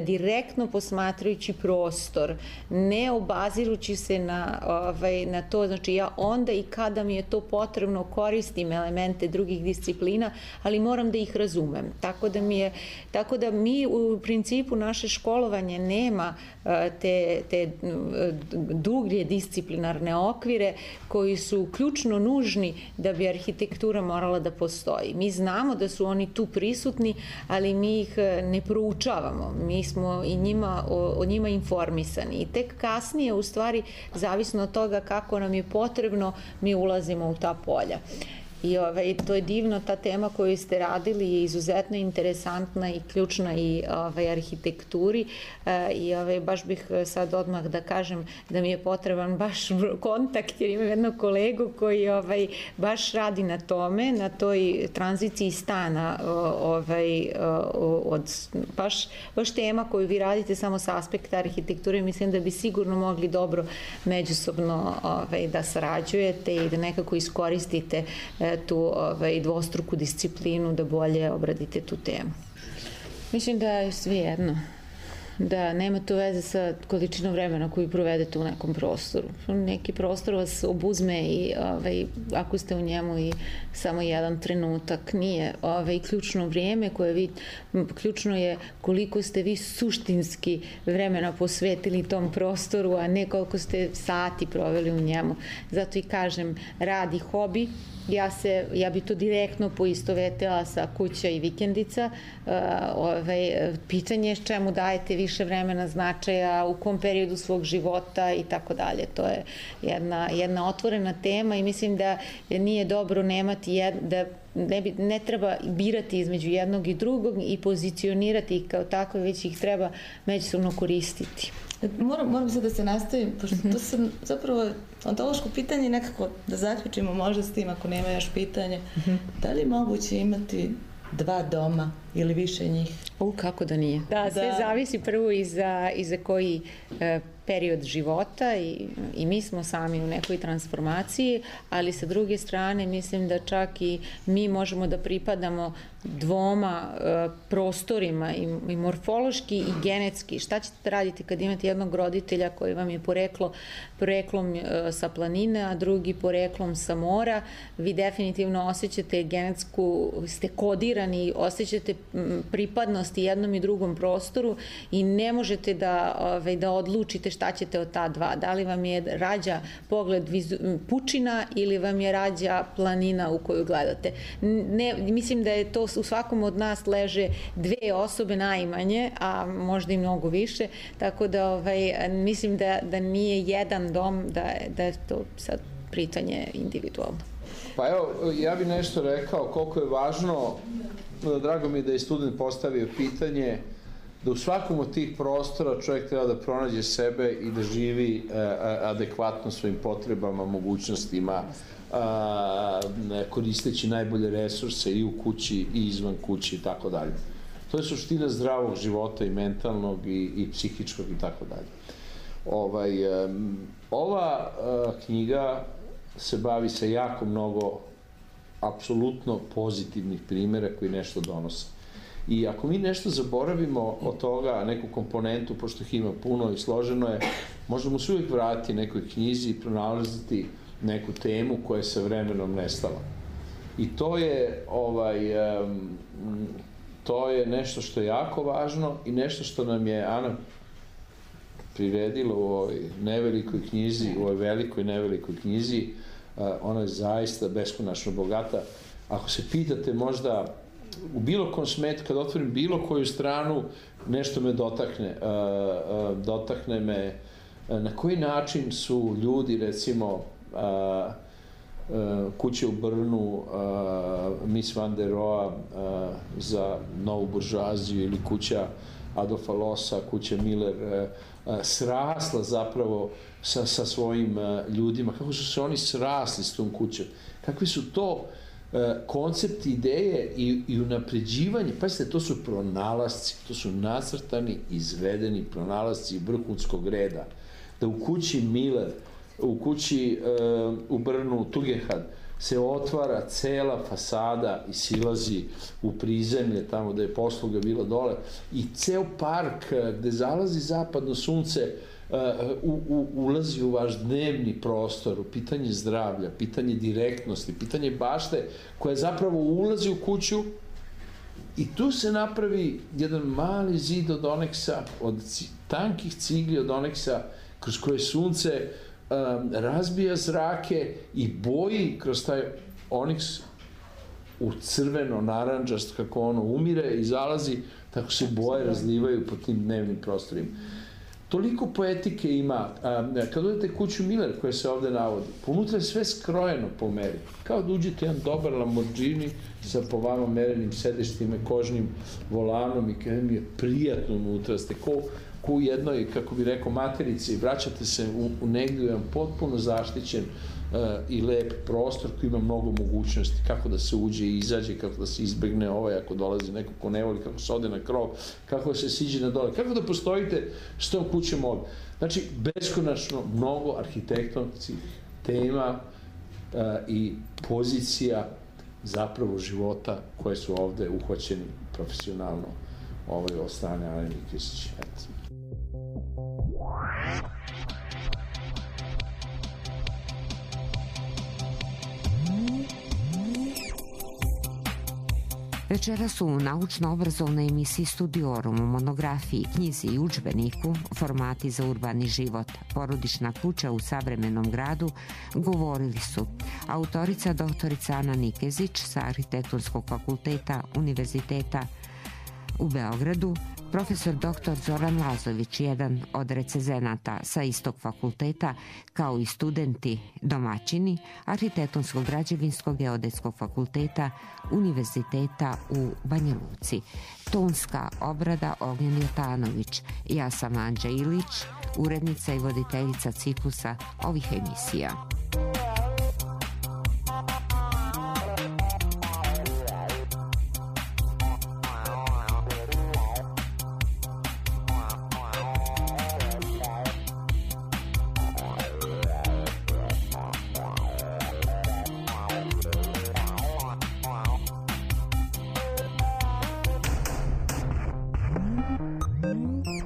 direktno posmatrajući prostor, ne obazirući se na, ovaj, na to, znači ja onda i kada mi je to potrebno koristim elemente drugih disciplina, ali moram da ih razumem. Tako da mi je, tako da mi u principu naše školovanje nema te, te dublje disciplinarne okvire koji su ključno nužni da bi arhitektura morala da postoji. Mi znamo da su oni tu prisutni, ali mi ih ne proučavamo. Mi smo i njima, o, o njima informisani. I tek kasnije, u stvari, zavisno od toga kako nam je potrebno, mi ulazimo u ta polja. I ovaj, to je divno, ta tema koju ste radili je izuzetno interesantna i ključna i ovaj, arhitekturi e, i ovaj, baš bih sad odmah da kažem da mi je potreban baš kontakt, jer imam jednog kolegu koji ovaj, baš radi na tome, na toj tranziciji stana, ovaj, od baš, baš tema koju vi radite samo sa aspekta arhitekture. Mislim da bi sigurno mogli dobro međusobno ovaj, da sarađujete i da nekako iskoristite tu ovaj, dvostruku disciplinu da bolje obradite tu temu. Mislim da je sve jedno. Da nema to veze sa količinom vremena koju provedete u nekom prostoru. Neki prostor vas obuzme i ovaj, ako ste u njemu i samo jedan trenutak, nije ovaj, ključno vrijeme koje vi, ključno je koliko ste vi suštinski vremena posvetili tom prostoru, a ne koliko ste sati proveli u njemu. Zato i kažem, rad i hobi. Ja, se, ja bi to direktno poistovetila sa kuća i vikendica. Uh, ovaj, pitanje je čemu dajete više vremena, značaja, u kom periodu svog života i tako dalje. To je jedna, jedna otvorena tema i mislim da nije dobro nemati, jed, da ne, bi, ne treba birati između jednog i drugog i pozicionirati ih kao takve, već ih treba međusobno koristiti. Moram, moram sad da se nastavim, pošto to sam zapravo ontološko pitanje nekako da zaključimo možda s tim ako nema još pitanje. Da li je moguće imati dva doma ili više njih? U, kako da nije. Da, sve da. Zavisi prvo i za, i za koji e, period života i, i mi smo sami u nekoj transformaciji, ali sa druge strane mislim da čak i mi možemo da pripadamo dvoma e, prostorima i, i morfološki i genetski. Šta ćete raditi kad imate jednog roditelja koji vam je poreklo, poreklom e, sa planine, a drugi poreklom sa mora? Vi definitivno osjećate genetsku, ste kodirani, osjećate pripadnost jednom i drugom prostoru i ne možete da, ovaj, da odlučite šta ćete od ta dva. Da li vam je rađa pogled vizu, pučina ili vam je rađa planina u koju gledate. Ne, mislim da je to u svakom od nas leže dve osobe najmanje, a možda i mnogo više, tako da ovaj, mislim da, da nije jedan dom, da, da je to sad pitanje individualno. Pa evo, ja bih nešto rekao koliko je važno, drago mi je da je student postavio pitanje, da u svakom od tih prostora čovjek treba da pronađe sebe i da živi e, adekvatno svojim potrebama, mogućnostima, a, koristeći najbolje resurse i u kući i izvan kući i tako dalje. To je suština zdravog života i mentalnog i, i psihičkog i tako dalje. Ovaj, ova a, knjiga se bavi sa jako mnogo apsolutno pozitivnih primjera koji nešto donose. I ako mi nešto zaboravimo od toga, neku komponentu, pošto ih ima puno i složeno je, možemo se uvijek vratiti nekoj knjizi i pronalaziti neku temu koja je sa vremenom nestala. I to je, ovaj, to je nešto što je jako važno i nešto što nam je Ana priredila u ovoj nevelikoj knjizi, u ovoj velikoj nevelikoj knjizi. Ona je zaista beskonačno bogata. Ako se pitate možda u bilo kom smetu, kad otvorim bilo koju stranu, nešto me dotakne. Dotakne me na koji način su ljudi, recimo, a, a, kuće u Brnu, a, Miss Van der Rohe a, za novu buržuaziju ili kuća Adolfa Lossa, kuća Miller, a, a, srasla zapravo sa, sa svojim a, ljudima, kako su se oni srasli s tom kućom, kakvi su to koncepti, ideje i, i unapređivanje. Pazite, to su pronalasci, to su nacrtani, izvedeni pronalasci vrhunskog reda. Da u kući Miller, u kući uh, u Brnu Tugendhat se otvara cela fasada i silazi u prizemlje, tamo da je posluga bila dole, i ceo park gde zalazi zapadno sunce U, u, ulazi u vaš dnevni prostor, u pitanje zdravlja, pitanje direktnosti, pitanje bašte, koja zapravo ulazi u kuću i tu se napravi jedan mali zid od oneksa, od tankih cigli od oneksa, kroz koje sunce um, razbija zrake i boji kroz taj oniks u crveno, naranđast, kako ono umire i zalazi, tako se boje razlivaju po tim dnevnim prostorima. Toliko poetike ima. Kad odete kuću Miller, koja se ovde navodi, unutra je sve skrojeno po meri. Kao da uđete jedan dobar Lamborghini sa po vama merenim sedištima, kožnim volanom i kada mi je prijatno unutra. Ste ko, ko u jednoj, kako bi rekao, materici i vraćate se u, u negdje jedan potpuno zaštićen uh, i lep prostor koji ima mnogo mogućnosti, kako da se uđe i izađe, kako da se izbegne ovaj ako dolazi neko ko ne voli, kako se ode na krov, kako da se siđe na dole, kako da postojite s tom kućom ovdje. Znači, beskonačno mnogo arhitektonskih tema uh, i pozicija zapravo života koje su ovde uhvaćeni profesionalno ovaj od strane Ane Nikezić. Večeras u naučno-obrazovnoj emisiji Studiorum u monografiji, knjizi i udžbeniku Formati za urbani život, porodična kuća u savremenom gradu govorili su autorica doktorica Ana Nikezić sa Arhitektonskog fakulteta Univerziteta u Beogradu, profesor doktor Zoran Lazović, jedan od recenzenata sa istog fakulteta, kao i studenti domaćini Arhitektonskog građevinskog geodetskog fakulteta Univerziteta u Banja Luci. Tonska obrada Ognjen Jotanović. Ja sam Anđa Ilić, urednica i voditeljica ciklusa ovih emisija. Mm-hmm.